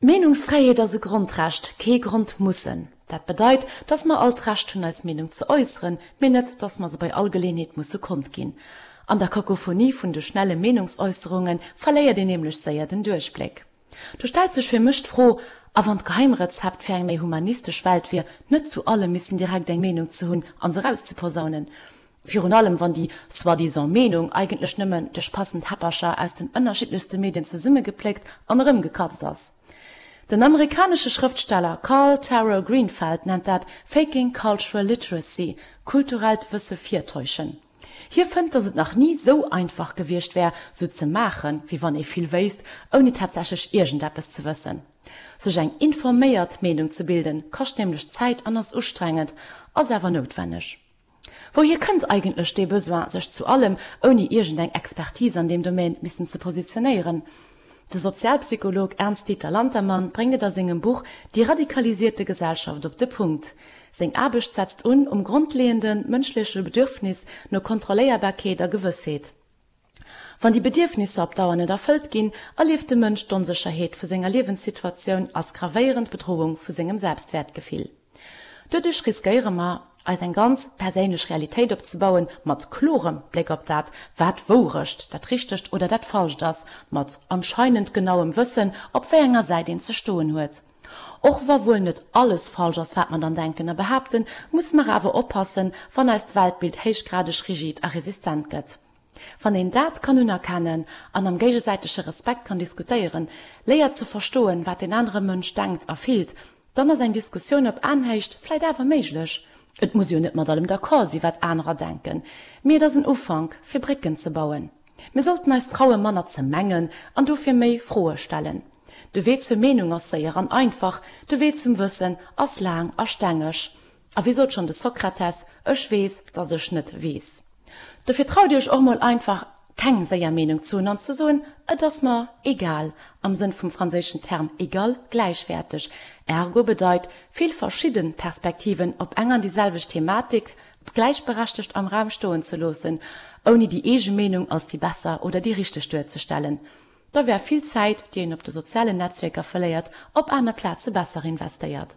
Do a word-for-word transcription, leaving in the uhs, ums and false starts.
D'Meenungsfräiheet ass e Grondrecht, kee Grondmussen. Dat bedeit, dass mer all d'Recht hunn eis Meenung ze äusseren, mee net, dass mer se bei all Geleeënheet musse kondginn. An der Kakophonie vun de schnelle Meenungsäusserunge verléiert een nämlech séier den Duerchbléck. Do stellt sech fir mech d'Fro, A wann d'Geheimrezept fir eng méi humanistesch Welt wier, net zu allem missen direkt eng Meenung ze hunn an se erauszeposaunen? Virun allem wann déi soi-disant Meenung eigentlech nëmmen duerch passend Häppercher aus den ënnerschiddlechste Medien zesummegepléckt an erëmgekatzt ass. Den amerikanesche Schrëftsteller Carl Taro Greenfeld nennt dat faking cultural literacy, kulturellt Wësse virtäuschen. Hie fënnt, datt et nach ni sou einfach gewiescht wär, sou ze maachen, wéi wann ee vill wéisst, ouni tatsächlech iergendeppes ze wëssen. Sech eng informéiert Meenung ze bilden, kascht nämlech Zäit an ass ustrengend, ass awer noutwenneg. Wouhier kënnt eigentlech dee Besoin, sech zu allem, ouni iergendeng Expertise an deem Domaine, missen ze positionéieren? De Sozialpsycholog Ernst-Dieter Lantermann bréngt et a sengem Buch Die radikalisierte Gesellschaft op de Punkt. Seng Aarbecht setzt un um grondleeënde mënschleche Bedürfnis no Kontrolléierbarkeet a Gewëssheet. Wann déi Bedierfnisser op Dauer net erfëllt ginn, erlieft de Mënsch d'Onsécherheet vu senger Liewenssituatioun als gravéierend Bedroung vu sengem Selbstwäertgefill. Doduerch riskéiere mer, eis eng ganz perséinlech Realitéit opzebauen, mat klorem Bléck op dat, wat d'Wourecht, dat Richtegt oder dat Falscht ass, mat anscheinend genauem Wëssen, op wéi enger Säit een ze stoen huet. Och wa wuel net alles falsch ass, wat mer dann denken a behaapten, musse mer awer oppassen, wann eist Weltbild héichgradeg rigid a resistent gëtt. Wann een dat kann unerkennen an am géigesäitege Respekt kann diskutéieren, léiert ze verstoen, wat deen anere Mënsch denkt a fillt, dann ass eng Diskussioun op Aenhéicht vläit awer méiglech. Et muss jo net mat allem d'accord si wat anerer denken, mee et ass en Ufank, fir Brécken ze bauen. Mir sollten eis traue manner ze mengen an dofir méi Froe stellen. De Wee zur Meenung ass séier an einfach, de Wee zum Wëssen ass laang a stengeg. A wéi sot schonn de Sokrates, Ech weess, datt ech net weess. Dofir traut iech och mol einfach keng séier Meenung ze hunn an ze soen, Et ass mer egal, am Sënn vum franséischen Term égal, gläichwäerteg, ergo bedeit, vill verschidde Perspektiven op eng an déi selwecht Thematik gläichberechtegt am Raum stoen ze loossen, ouni déi eege Meenung als déi besser oder déi richteg duerzestellen. Da wär vill Zäit, déi een op de sozialen Netzwierker verléiert, op aner Plaze besser investéiert.